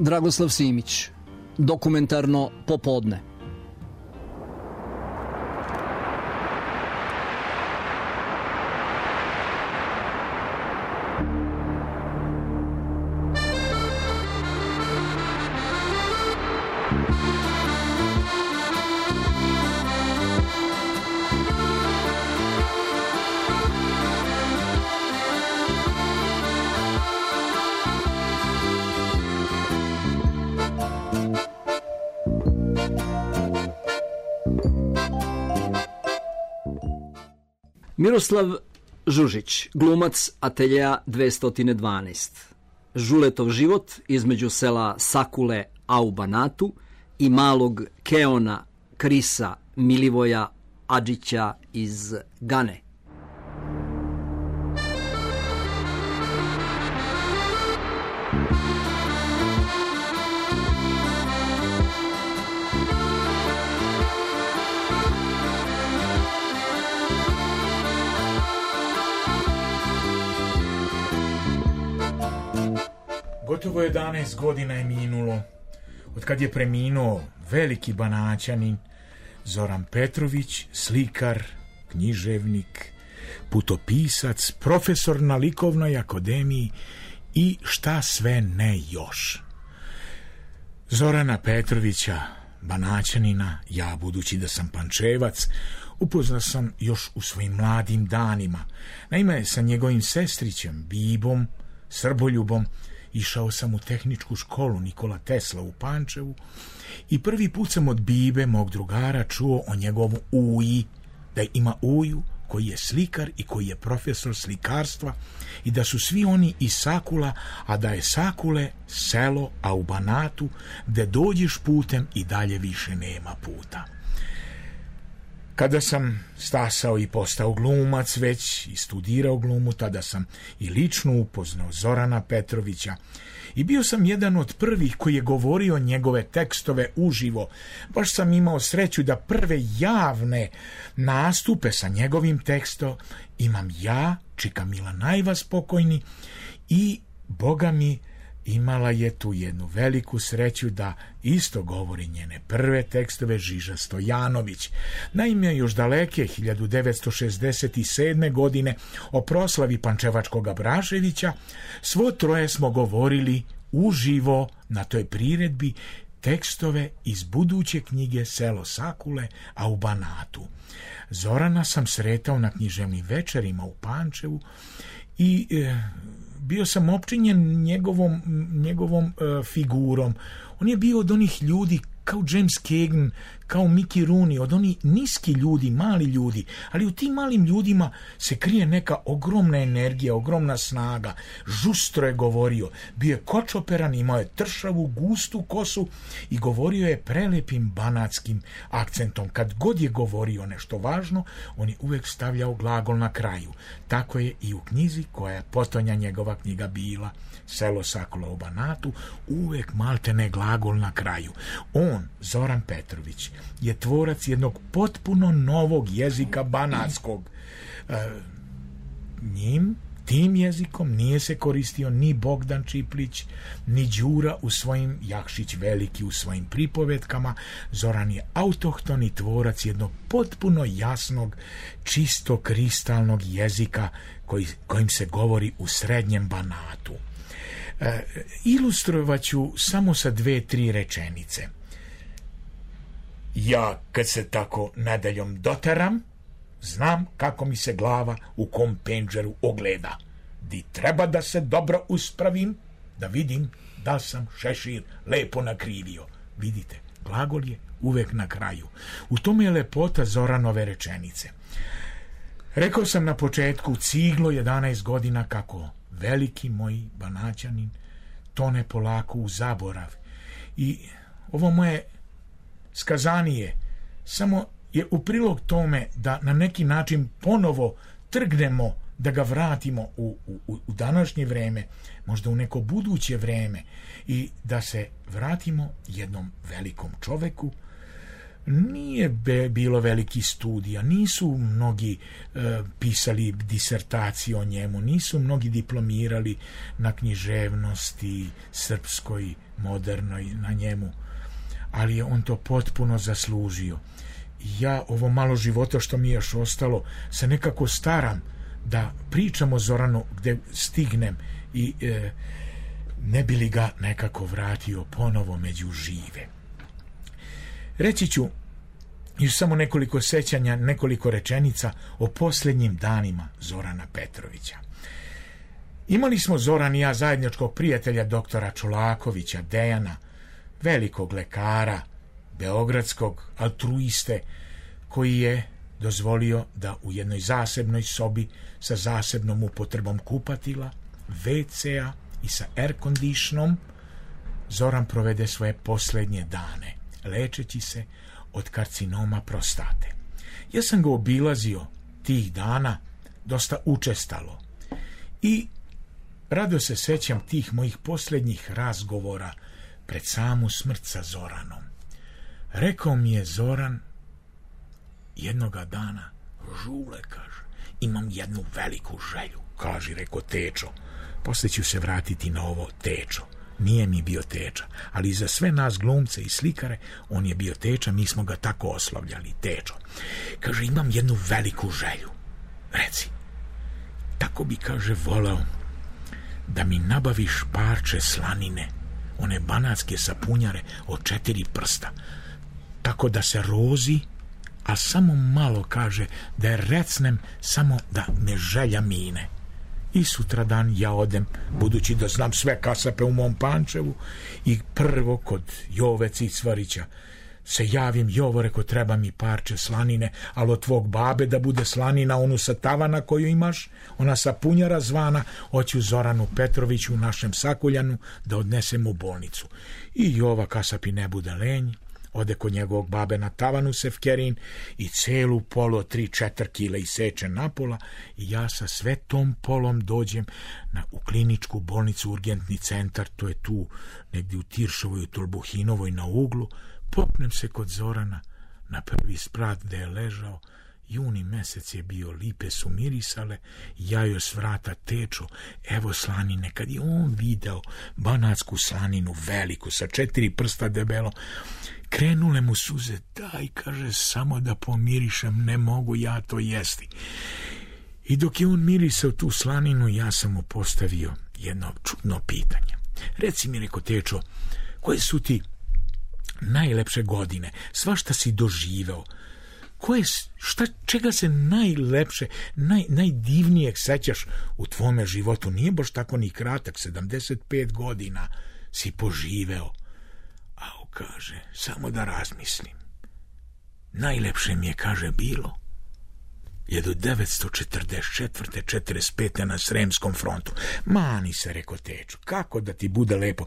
Dragoslav Simić, dokumentarno popodne. Miroslav Žužić, glumac ateljeja 212. Žuletov život između sela Sakule, a u Banatu, i malog Keona Krisa Milivoja Adžića iz Gane. Gotovo 11 godina je minulo od kad je preminuo veliki Banaćanin Zoran Petrović, slikar, književnik, putopisac, profesor na Likovnoj akademiji i šta sve ne još. Zorana Petrovića, Banaćanina, ja, budući da sam Pančevac, upoznao sam još u svojim mladim danima. Naime, sa njegovim sestrićem, Bibom, Srboljubom, išao sam u tehničku školu Nikola Tesla u Pančevu i prvi put sam od Bibe, mog drugara, čuo o njegovu uji, da ima uju koji je slikar i koji je profesor slikarstva i da su svi oni iz Sakula, a da je Sakule selo, a u Banatu gde dođeš putem i dalje više nema puta. Kada sam stasao i postao glumac već i studirao glumu, tada sam i lično upoznao Zorana Petrovića i bio sam jedan od prvih koji je govorio njegove tekstove uživo. Baš sam imao sreću da prve javne nastupe sa njegovim tekstom imam ja, čika Mila Najva spokojni, i Boga mi imala je tu jednu veliku sreću da isto govori njene prve tekstove Žiža Stojanović. Naime, još daleke 1967. godine o proslavi Pančevačkog Abraševića svo troje smo govorili uživo na toj priredbi tekstove iz buduće knjige Selo Sakule, a u Banatu. Zorana sam sretao na književnim večerima u Pančevu i bio sam opčinjen njegovom figurom. On je bio od onih ljudi kao James Cagney, kao Mickey Rooney, od onih niski ljudi, mali ljudi, ali u tim malim ljudima se krije neka ogromna energija, ogromna snaga. Žustro je govorio, bio je kočoperan, imao je tršavu, gustu kosu i govorio je prelepim banatskim akcentom. Kad god je govorio nešto važno, on je uvek stavljao glagol na kraju. Tako je i u knjizi koja je potonja njegova knjiga bila, Selo Sakula u Banatu, uvek maltene glagol na kraju. On, Zoran Petrović, je tvorac jednog potpuno novog jezika banatskog. Tim jezikom nije se koristio ni Bogdan Čiplić, ni Đura u svojim, Jakšić Veliki u svojim pripovetkama. Zoran je autohtoni tvorac jednog potpuno jasnog, čisto kristalnog jezika kojim se govori u srednjem Banatu. Ilustrovat ću samo sa 2-3 rečenice. Ja, kad se tako nedeljom doteram, znam kako mi se glava u kom penđeru ogleda. Di treba da se dobro uspravim, da vidim da sam šešir lepo nakrivio. Vidite, glagol je uvek na kraju. U tome je lepota Zoranove rečenice. Rekao sam na početku, ciglo 11 godina kako veliki moj Banaćanin tone polako u zaborav. I ovo moje skazanije samo je u prilog tome da na neki način ponovo trgnemo, da ga vratimo u današnje vreme, možda u neko buduće vreme, i da se vratimo jednom velikom čoveku, nije bilo veliki studija, nisu mnogi pisali disertacije o njemu, nisu mnogi diplomirali na književnosti srpskoj, modernoj na njemu, ali je on to potpuno zaslužio. Ja ovo malo života što mi je još ostalo se nekako staram da pričam o Zoranu gde stignem i ne bi li ga nekako vratio ponovo među žive. Reći ću još samo nekoliko sećanja, nekoliko rečenica o posljednjim danima Zorana Petrovića. Imali smo Zoran i ja zajedničkog prijatelja doktora Čolakovića, Dejana, velikog lekara, beogradskog altruiste, koji je dozvolio da u jednoj zasebnoj sobi sa zasebnom upotrebom kupatila, WC-a i sa air conditionom Zoran provede svoje posljednje dane, lečeći se od karcinoma prostate. Ja sam ga obilazio tih dana dosta učestalo i rado se sećam tih mojih posljednjih razgovora pred samu smrt sa Zoranom. Rekao mi je Zoran jednoga dana: Žule, kaže, imam jednu veliku želju. Kaži, rekao Tečo. Poslije ću se vratiti na ovo Tečo. Nije mi bio Teča, ali za sve nas glumce i slikare on je bio Teča, mi smo ga tako oslavljali, Tečo. Kaže, imam jednu veliku želju. Reci, tako bi, kaže, voleo da mi nabaviš parče slanine, one banatske sapunjare od 4 prsta, tako da se rozi, a samo malo, kaže, da je recnem, samo da me želja mine. I sutradan ja odem, budući da znam sve kasape u mom Pančevu, i prvo kod Jove Cicvarića se javim: Jovo, reko, treba mi parče slanine, ali od tvog babe da bude slanina, onu sa tavana koju imaš, ona sapunjara zvana, hoću Zoranu Petroviću u našem Sakuljanu da odnesem u bolnicu. I Jova kasapi ne bude lenj, ode kod njegovog babe na tavanu Sefkerin i celu polu od 3-4 kile iseče napola, i ja sa sve tom polom dođem u kliničku bolnicu, urgentni centar, to je tu negdje u Tiršovoj, u Tolbuhinovoj na uglu. Popnem se kod Zorana na prvi sprat gde je ležao. Juni mesec je bio, lipe su mirisale, ja joj s vrata: Tečo, evo slanine. Kad je on video banatsku slaninu veliku sa 4 prsta debelo, krenule mu suze. Daj, kaže, samo da pomirišem, ne mogu ja to jesti. I dok je on mirisao tu slaninu, ja sam mu postavio jedno čudno pitanje. Reci mi, reko, Tečo, koje su ti najlepše godine, svašta si doživeo, čega se najlepše, najdivnijeg sećaš u tvome životu? Nije baš tako ni kratak, 75 godina si poživeo. A kaže, samo da razmislim. Najlepše mi je, kaže, bilo 1944. 45. na Sremskom frontu. Mani se, reko, Tečo, kako da ti bude lepo.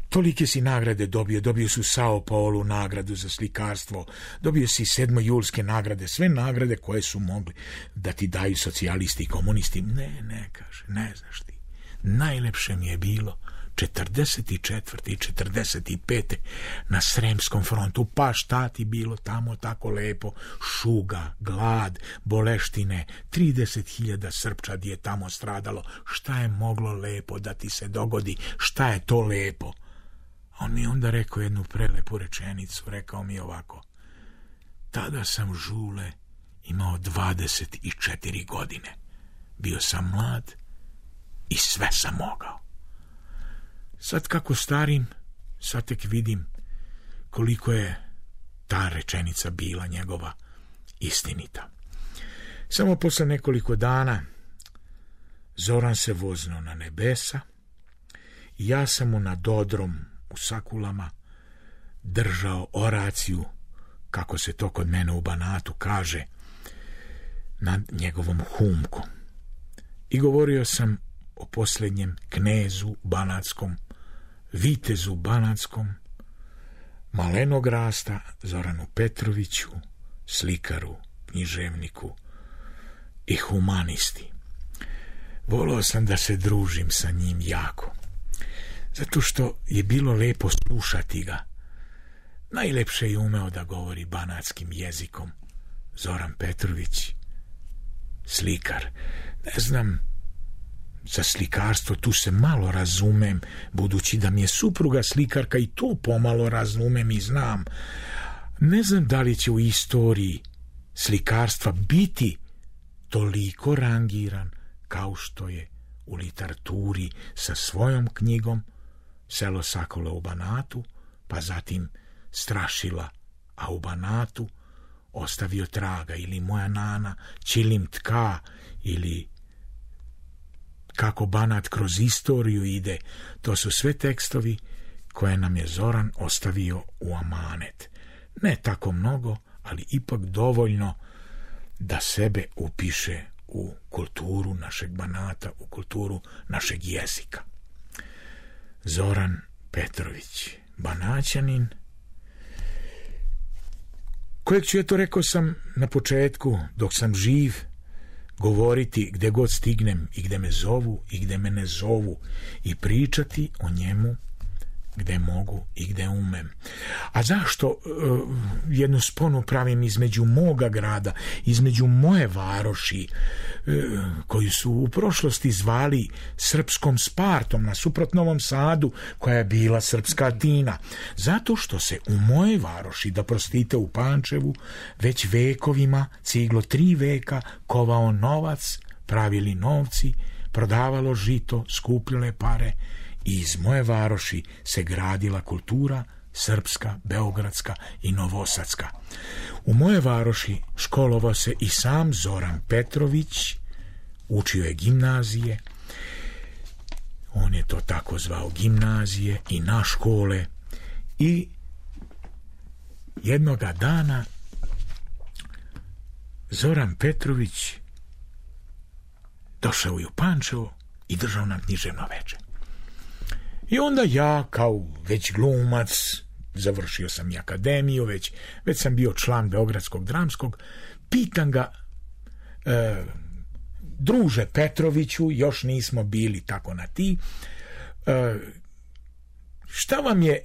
Tolike si nagrade dobio si u Sao Paulu nagradu za slikarstvo, dobio si 7. julske nagrade, sve nagrade koje su mogli da ti daju socijalisti i komunisti. Ne, kaže, ne znaš ti. Najlepše mi je bilo 44. i 45. na Sremskom frontu. Pa šta ti bilo tamo tako lepo? Šuga, glad, boleštine, 30.000 Srpčadi je tamo stradalo. Šta je moglo lepo da ti se dogodi? Šta je to lepo? On mi onda rekao jednu prelepu rečenicu, rekao mi ovako: tada sam, Žule, imao 24 godine. Bio sam mlad i sve sam mogao. Sad kako starim, sad tek vidim koliko je ta rečenica bila njegova istinita. Samo posle nekoliko dana Zoran se vozno na nebesa i ja sam mu nad odrom u Sakulama držao oraciju, kako se to kod mene u Banatu kaže, nad njegovom humkom. I govorio sam o posljednjem knezu banatskom, vitezu banatskom, malenog rasta, Zoranu Petroviću, slikaru, književniku i humanisti. Volao sam da se družim sa njim jako, zato što je bilo lepo slušati ga. Najlepše je umeo da govori banatskim jezikom. Zoran Petrović, slikar. Ne znam za slikarstvo, tu se malo razumem, budući da mi je supruga slikarka i to pomalo razumem i znam. Ne znam da li će u istoriji slikarstva biti toliko rangiran kao što je u literaturi sa svojom knjigom Selo Sakule u Banatu, pa zatim Strašila, a u Banatu ostavio traga, ili Moja nana, Čilim tka, ili Kako Banat kroz istoriju ide. To su sve tekstovi koje nam je Zoran ostavio u amanet. Ne tako mnogo, ali ipak dovoljno da sebe upiše u kulturu našeg Banata, u kulturu našeg jezika. Zoran Petrović, Banaćanin, kojeg ću, eto rekao sam na početku, dok sam živ, govoriti gde god stignem i gde me zovu i gde me ne zovu i pričati o njemu gde mogu i gde umem. A zašto jednu sponu pravim između moga grada, između moje varoši, koju su u prošlosti zvali srpskom Spartom, nasuprot Novom Sadu, koja je bila srpska Atina? Zato što se u moje varoši, da prostite, u Pančevu, već vekovima, ciglo 3 veka, kovao novac, pravili novci, prodavalo žito, skupljale pare, i iz moje varoši se gradila kultura srpska, beogradska i novosadska. U moje varoši školovao se i sam Zoran Petrović, učio je gimnazije, on je to tako zvao, gimnazije i na škole, i jednoga dana Zoran Petrović došao je u Pančevo i držao nam književno veče. I onda ja, kao već glumac, završio sam i akademiju, već sam bio član Beogradskog dramskog, pitam ga, druže Petroviću, još nismo bili tako na ti, šta vam je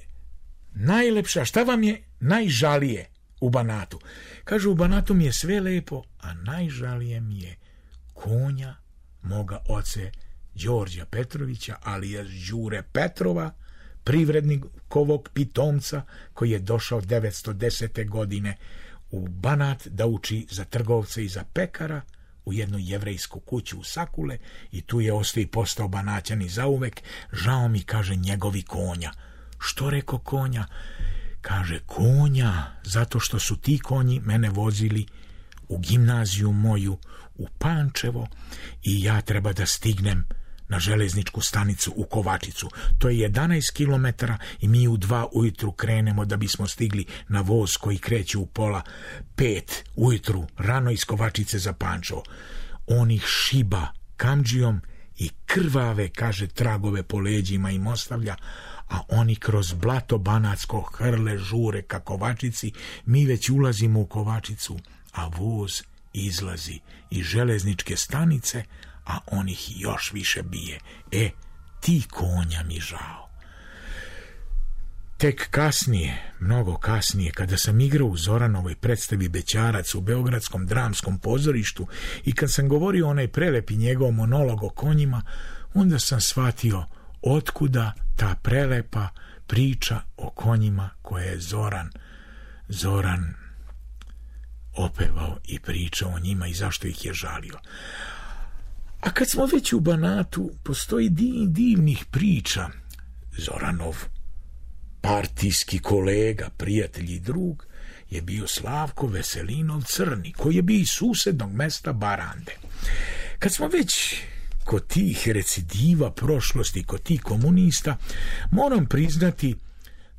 najlepša, šta vam je najžalije u Banatu? Kaže, u Banatu mi je sve lepo, a najžalije mi je konja moga oce Đorđa Petrovića, alias Đure Petrova, privrednikovog pitomca, koji je došao 910. godine u Banat da uči za trgovce i za pekara u jednu jevrejsku kuću u Sakule, i tu je ostao i postao Banaćanin zauvek. Žao mi, kaže, njegovi konja. Što reko konja? Kaže, konja, zato što su ti konji mene vozili u gimnaziju moju u Pančevo i ja treba da stignem na železničku stanicu u Kovačicu. To je 11 kilometara i mi u 2 ujutru krenemo da bismo stigli na voz koji kreće u 4:30 ujutru, rano iz Kovačice za Pančevo. On ih šiba kamdžijom i krvave, kaže, tragove po leđima im ostavlja, a oni kroz blato banatsko hrle žure ka Kovačici. Mi već ulazimo u Kovačicu, a voz izlazi iz železničke stanice, a on ih još više bije. Ti konja mi žao. Tek kasnije, mnogo kasnije, kada sam igrao u Zoranovoj predstavi Bećarac u Beogradskom dramskom pozorištu i kad sam govorio onaj prelepi njegov monolog o konjima, onda sam shvatio otkuda ta prelepa priča o konjima koje je Zoran opevao i pričao o njima i zašto ih je žalio. A kad smo već u Banatu, postoji divnih priča. Zoranov partijski kolega, prijatelj i drug je bio Slavko Veselinov Crni, koji je bio iz susednog mesta Barande. Kad smo već kod tih recidiva prošlosti, kod tih komunista, moram priznati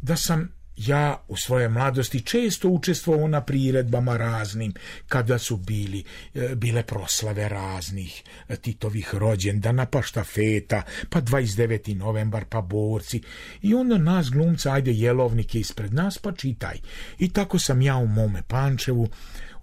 da sam ja u svojoj mladosti često učestvovao na priredbama raznim, kada su bile proslave raznih Titovih rođendana, pa štafeta, pa 29. novembar, pa borci, i onda nas glumca, ajde jelovnik je ispred nas, pa čitaj. I tako sam ja u mome Pančevu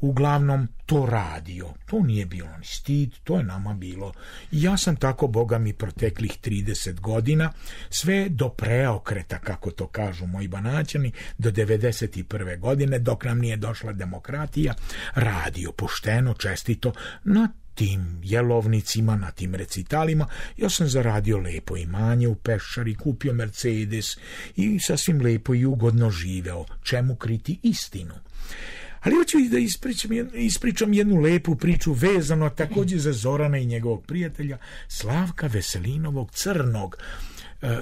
uglavnom to radio. To nije bilo ni stid, to je nama bilo. I ja sam tako, Boga mi, proteklih 30 godina, sve do preokreta, kako to kažu moji Banaćani, do 91. godine, dok nam nije došla demokratija, radio pošteno, čestito, na tim jelovnicima, na tim recitalima. Ja sam zaradio lepo imanje u Peščari, kupio Mercedes i sasvim lepo i ugodno živeo. Čemu kriti istinu? Ali hoću i da ispričam jednu lepu priču vezano također za Zorana i njegovog prijatelja Slavka Veselinovog Crnog.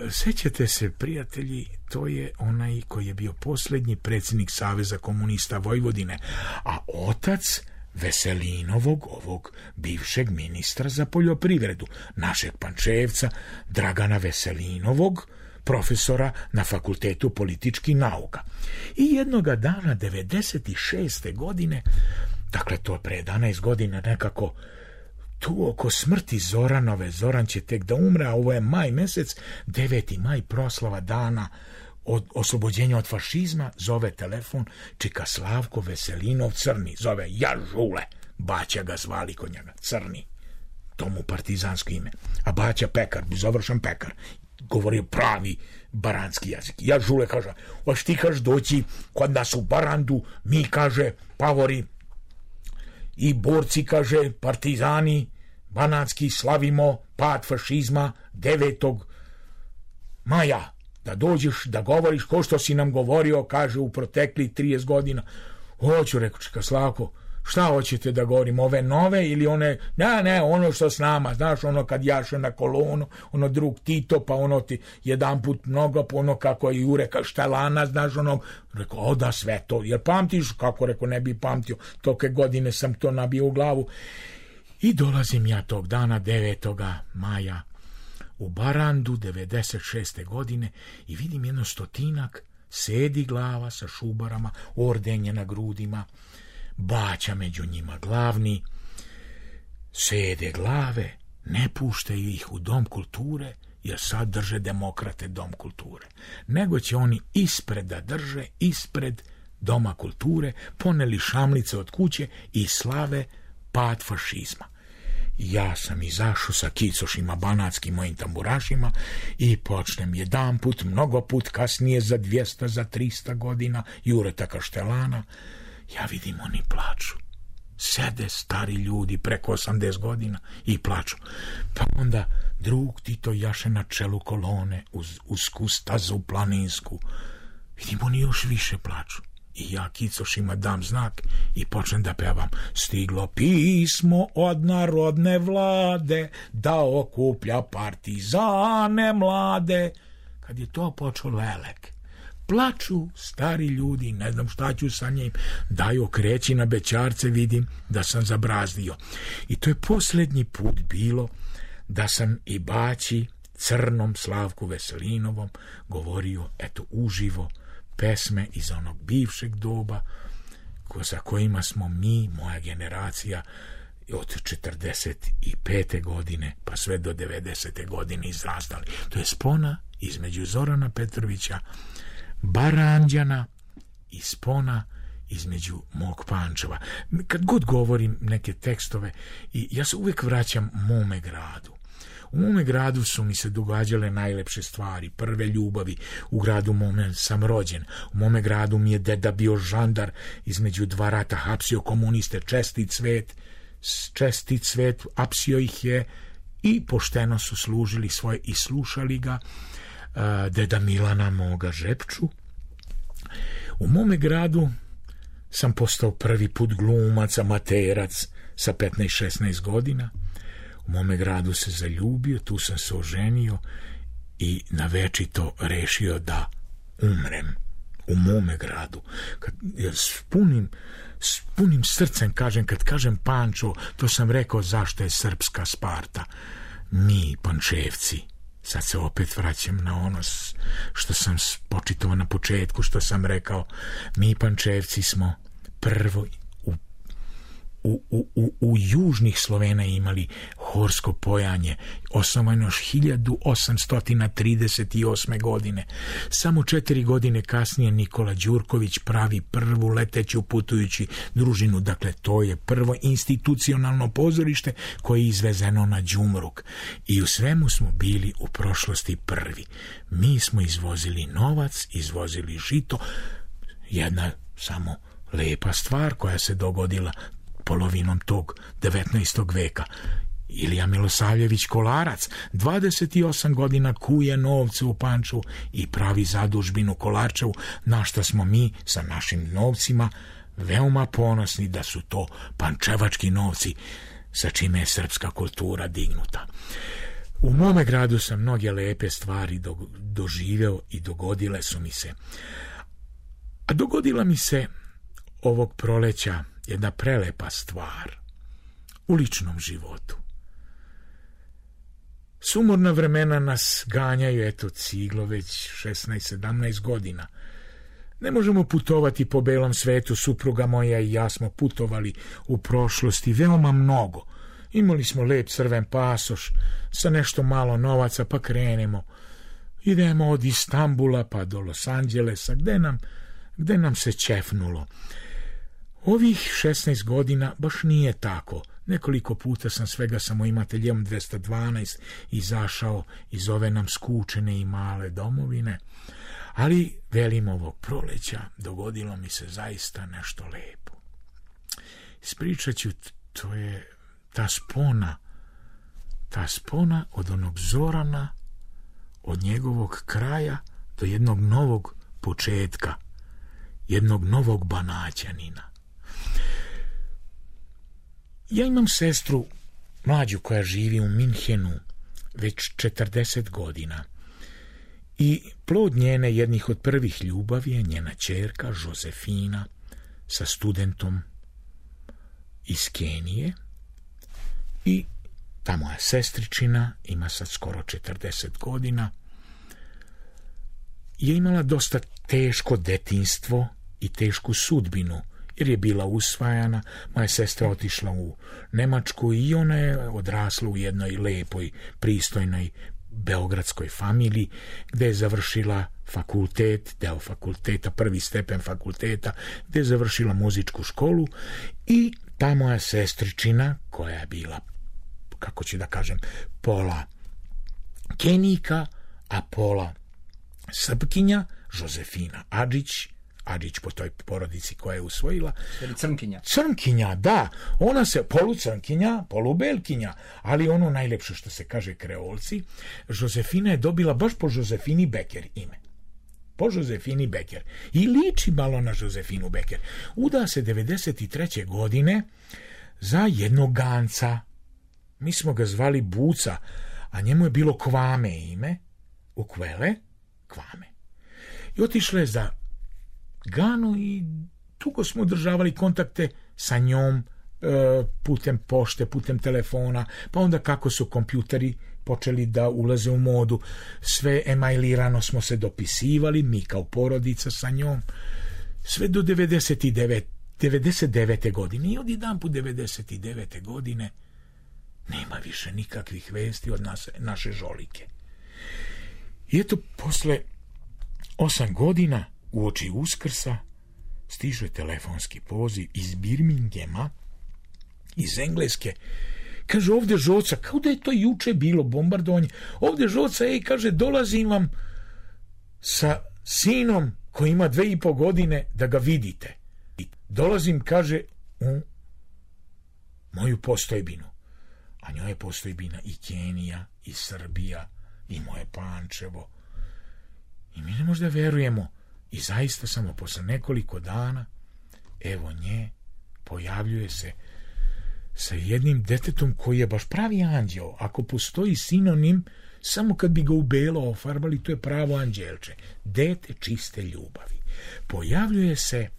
Sećate se, prijatelji, to je onaj koji je bio posljednji predsjednik Saveza komunista Vojvodine, a otac Veselinovog, ovog bivšeg ministra za poljoprivredu, našeg Pančevca Dragana Veselinovog, profesora na Fakultetu političkih nauka. I jednoga dana 96. godine, dakle to je pre 11 godina nekako, tu oko smrti Zoranove, Zoran će tek da umre, a ovo je maj mesec, 9. maj, proslava dana od oslobođenja od fašizma, zove telefon, čika Slavko Veselinov Crni, zove ja Žule, Baća ga zvali kod njega, Crni, to mu partizansko ime, a Baća pekar, završen pekar, govorio pravi baranski jezik. Ja Žule kaže, hoš ti kaž doći kod nas u Barandu, mi kaže pavori i borci, kaže partizani banatski, slavimo pad fašizma 9. maja, da dođeš da govoriš ko što si nam govorio, kaže, u protekli 30 godina. Hoću, rekao, čeka Slavko, šta hoćete da govorim, ove nove ili one, ne, ono što s nama, znaš, ono kad jaše na kolonu, ono drug Tito, pa ono ti jedan put mnogo, pa ono kako je Jureka Štelana, znaš, ono, rekao, da sve to, jer pamtiš, kako, rekao, ne bi pamtio, toke godine sam to nabio u glavu. I dolazim ja tog dana 9. maja u Barandu 96. godine i vidim jedno 100 sedi glava sa šubarama, ordenje na grudima, Baća među njima glavni, sede glave, ne puštaju ih u Dom kulture, jer sad drže demokrate Dom kulture, nego će oni ispred da drže, ispred Doma kulture, poneli šamlice od kuće i slave pad fašizma. Ja sam izašao sa kicošima banatskim mojim tamburašima i počnem jedan put, mnogo put kasnije, za 200, za 300 godina, Jureta Kaštelana, ja vidim oni plaču. Sede stari ljudi preko 80 godina i plaču. Pa onda drug Tito jaše na čelu kolone uz usku stazu planinsku. Vidim oni još više plaču. I ja kicošima dam znak i počnem da pevam. Stiglo pismo od narodne vlade da okuplja partizane mlade. Kad je to počeo lelek, plaču stari ljudi, ne znam šta ću sa njim, daju kreći na bećarce, vidim da sam zabrazdio. I to je posljednji put bilo da sam i Baći Crnom Slavku Veselinovom govorio, eto, uživo, pesme iz onog bivšeg doba za kojima smo mi, moja generacija, od 45. godine pa sve do 90. godine izrastali. To je spona između Zorana Petrovića, Baranđana i spona između mog Pančeva. Kad god govorim neke tekstove, i ja se uvijek vraćam mome gradu. U mome gradu su mi se događale najlepše stvari, prve ljubavi. U gradu mome sam rođen. U mome gradu mi je deda bio žandar, između 2 rata hapsio komuniste, čestit svet, hapsio ih je i pošteno su služili svoje i slušali ga. Deda Milana moga Žepču. U mome gradu sam postao prvi put glumac, amaterac sa 15-16 godina. U mome gradu se zaljubio, tu sam se oženio i na večito rešio da umrem u mome gradu. S punim srcem kažem, kad kažem Pančevo, to sam rekao zašto je srpska Sparta. Mi, Pančevci, sad se opet vraćam na ono što sam počitao na početku, što sam rekao, mi Pančevci smo prvo u južnih Slovena imali horsko pojanje, osnovano još 1838. godine. Samo 4 godine kasnije Nikola Đurković pravi prvu leteću putujući družinu, dakle to je prvo institucionalno pozorište koje je izvezeno na Đumruk. I u svemu smo bili u prošlosti prvi. Mi smo izvozili novac, izvozili žito, jedna samo lepa stvar koja se dogodila polovinom tog 19. veka. Ilija Milosavljević Kolarac 28 godina kuje novce u Pančevu i pravi zadužbinu Kolarčevu, na što smo mi sa našim novcima veoma ponosni da su to pančevački novci sa čime je srpska kultura dignuta. U mome gradu sam mnoge lepe stvari doživeo i dogodile su mi se. A dogodila mi se ovog proleća jedna prelepa stvar u ličnom životu. Sumorna vremena nas ganjaju, eto ciglo već 16-17 godina. Ne možemo putovati po belom svetu, supruga moja i ja smo putovali u prošlosti veoma mnogo. Imali smo lep crven pasoš sa nešto malo novaca, pa krenemo. Idemo od Istambula pa do Los Angelesa, gde nam se ćefnulo. Ovih 16 godina baš nije tako. Nekoliko puta sam svega samoimateljem 212 izašao iz ove nam skučene i male domovine, ali velim ovog proleća dogodilo mi se zaista nešto lepo. Ispričat ću, to je ta spona od onog Zorana, od njegovog kraja do jednog novog početka, jednog novog Banaćanina. Ja imam sestru mlađu koja živi u Minhenu već 40 godina i plod njene jednih od prvih ljubavi je njena ćerka Josefina sa studentom iz Kenije i ta moja sestričina ima sad skoro 40 godina, je imala dosta teško detinjstvo i tešku sudbinu, jer je bila usvajana. Moja sestra otišla u Nemačku i ona je odrasla u jednoj lepoj, pristojnoj beogradskoj familiji, gde je završila fakultet, deo fakulteta, prvi stepen fakulteta, gde je završila muzičku školu i ta moja sestričina, koja je bila, kako ću da kažem, pola Kenijka, a pola Srpkinja, Josefina Adžić po toj porodici koja je usvojila. Crnkinja, da. Ona se polucrnkinja, polubelkinja, ali ono najlepše što se kaže kreolci, Josefina je dobila baš po Josefini Beker ime. Po Josefini Beker. I liči malo na Josefinu Beker. Uda se 93. godine za jednog Ganca. Mi smo ga zvali Buca, a njemu je bilo Kvame ime. Ukvele, Kvame. I otišla je za Ganu i dugo smo održavali kontakte sa njom putem pošte, putem telefona, pa onda kako su kompjuteri počeli da ulaze u modu, sve emailirano smo se dopisivali, mi kao porodica sa njom, sve do 99. godine. I odjedanput 99. godine nema više nikakvih vesti od naše Žolike. I eto, posle 8 godina uoči Uskrsa stiže telefonski poziv iz Birminghama, iz Engleske. Kaže, ovde Žoca, kao da je to juče bilo bombardovanje, ovde Žoca, kaže, dolazim vam sa sinom koji ima 2,5 godine da ga vidite. Dolazim, kaže, u moju postojbinu. A njoj je postojbina i Kenija, i Srbija, i moje Pančevo. I mi ne možda verujemo. I zaista samo posle nekoliko dana, evo nje, pojavljuje se sa jednim detetom koji je baš pravi anđeo. Ako postoji sinonim, samo kad bi ga u belo ofarbali, to je pravo anđelče. Dete čiste ljubavi. Pojavljuje se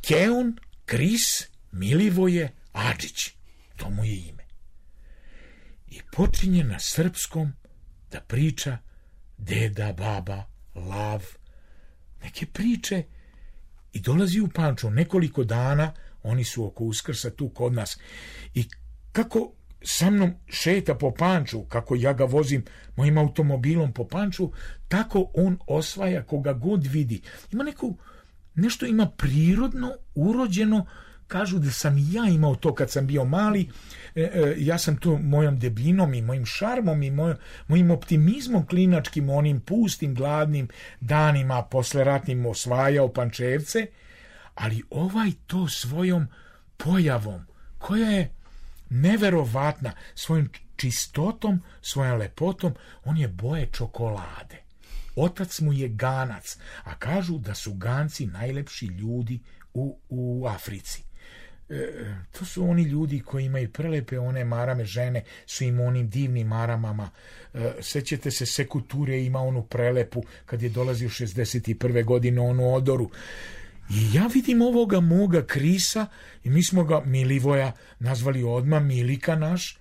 Keon Kris Milivoje Adžić. To mu je ime. I počinje na srpskom da priča deda, baba, lav, neke priče i dolazi u Pančevo. Nekoliko dana oni su oko Uskrsa tu kod nas. I kako sa mnom šeta po Panču, kako ja ga vozim mojim automobilom po Panču, tako on osvaja koga god vidi. Ima nešto ima prirodno, urođeno. Kažu da sam i ja imao to kad sam bio mali. Ja sam to mojom debinom i mojim šarmom i mojim optimizmom klinačkim, onim pustim, gladnim danima posleratnim osvajao Pančevce, ali ovaj to svojom pojavom, koja je neverovatna, svojom čistotom, svojom lepotom, on je boje čokolade. Otac mu je Ganac, a kažu da su Ganci najlepši ljudi u Africi. To su oni ljudi koji imaju prelepe one marame, žene su im onim divnim maramama. Sećate se Seku Ture, ima onu prelepu kad je dolazio 61. godine, onu odoru. I ja vidim ovoga moga Krisa i mi smo ga Milivoja nazvali odmah Milika naš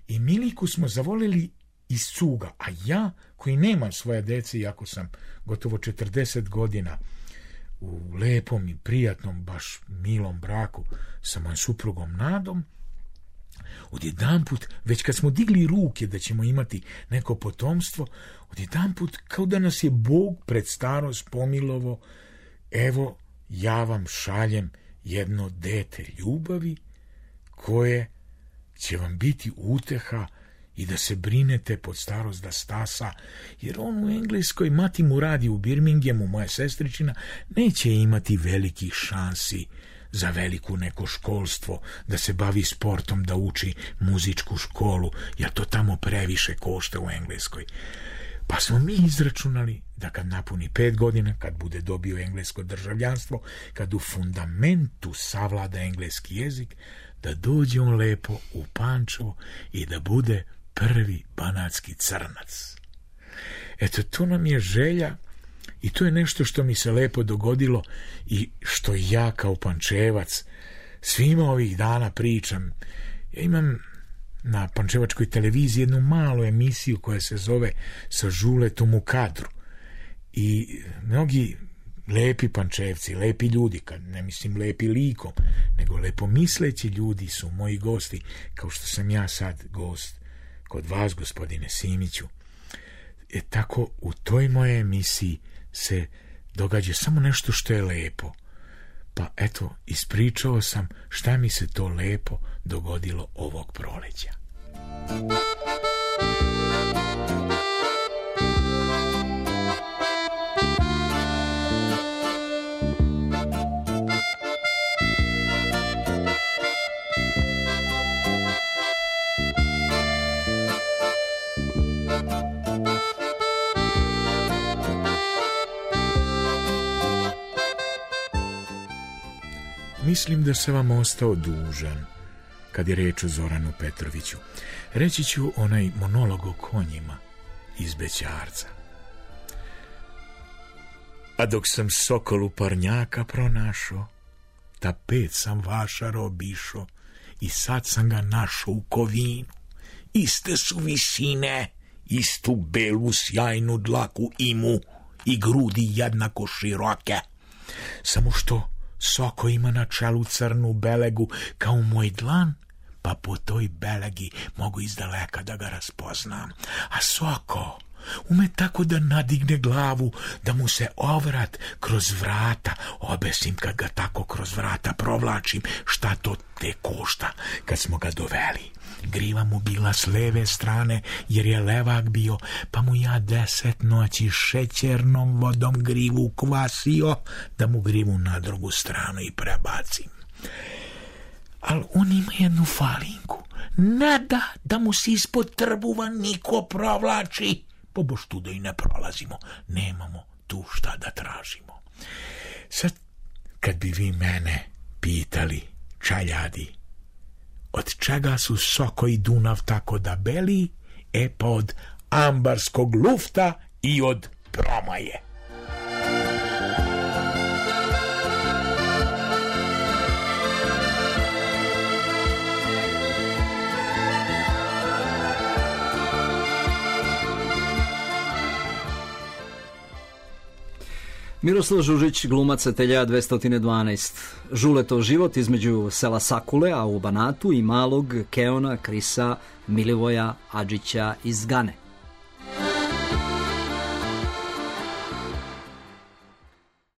i Miliku smo zavolili iz cuga, a ja koji nemam svoje dece, iako sam gotovo 40 godina u lepom i prijatnom, baš milom braku sa mojom suprugom Nadom, odjedanput, već kad smo digli ruke da ćemo imati neko potomstvo, odjedanput kao da nas je Bog pred starost pomilovo, evo ja vam šaljem jedno dete ljubavi koje će vam biti uteha i da se brinete pod starost da stasa, jer on u Engleskoj, mati mu radi u Birminghamu, moja sestričina, neće imati velikih šansi za veliko neko školstvo, da se bavi sportom, da uči muzičku školu, jer to tamo previše košta u Engleskoj. Pa smo mi izračunali da kad napuni 5 godina, kad bude dobio englesko državljanstvo, kad u fundamentu savlada engleski jezik, da dođe on lepo u Pančevo i da bude prvi banatski crnac. Eto, to nam je želja i to je nešto što mi se lepo dogodilo i što ja kao Pančevac svima ovih dana pričam. Ja imam na pančevačkoj televiziji jednu malu emisiju koja se zove Sa Žuletom u kadru. I mnogi lepi Pančevci, lepi ljudi, kad ne mislim lepi likom, nego lepo misleći ljudi su moji gosti, kao što sam ja sad gost kod vas, gospodine Simiću. Tako u toj mojej emisiji se događa samo nešto što je lepo. Pa eto, ispričao sam šta mi se to lepo dogodilo ovog proleća. Mislim da sam vam ostao dužan kad je reč o Zoranu Petroviću. Reći ću onaj monolog o konjima iz Bećarca. A dok sam sokolu parnjaka pronašao, tapet sam vašaro obišao i sad sam ga našao u Kovinu. Iste su visine, istu belu sjajnu dlaku imu i grudi jednako široke. Samo što Soko ima na čelu crnu belegu kao moj dlan, pa po toj belegi mogu izdaleka da ga raspoznam. A Soko ume tako da nadigne glavu, da mu se ovrat kroz vrata obesim kad ga tako kroz vrata provlačim, šta to te košta. Kad smo ga doveli, griva mu bila s leve strane, jer je levak bio, pa mu ja 10 noći šećernom vodom grivu kvasio, da mu grivu na drugu stranu i prebacim. Al on ima jednu falinku, ne da mu se ispod trbuva niko provlači, pobož tu da i ne prolazimo, nemamo tu šta da tražimo. Sad, kad bi vi mene pitali, čaljadi, od čega su Soko i Dunav tako da beli, pa od ambarskog lufta i od promaje. Miroslav Žužić, glumac Ateljeja 212. Žuletov život između sela Sakule, a u Banatu, i malog Keona Krisa Milivoja Adžića iz Gane.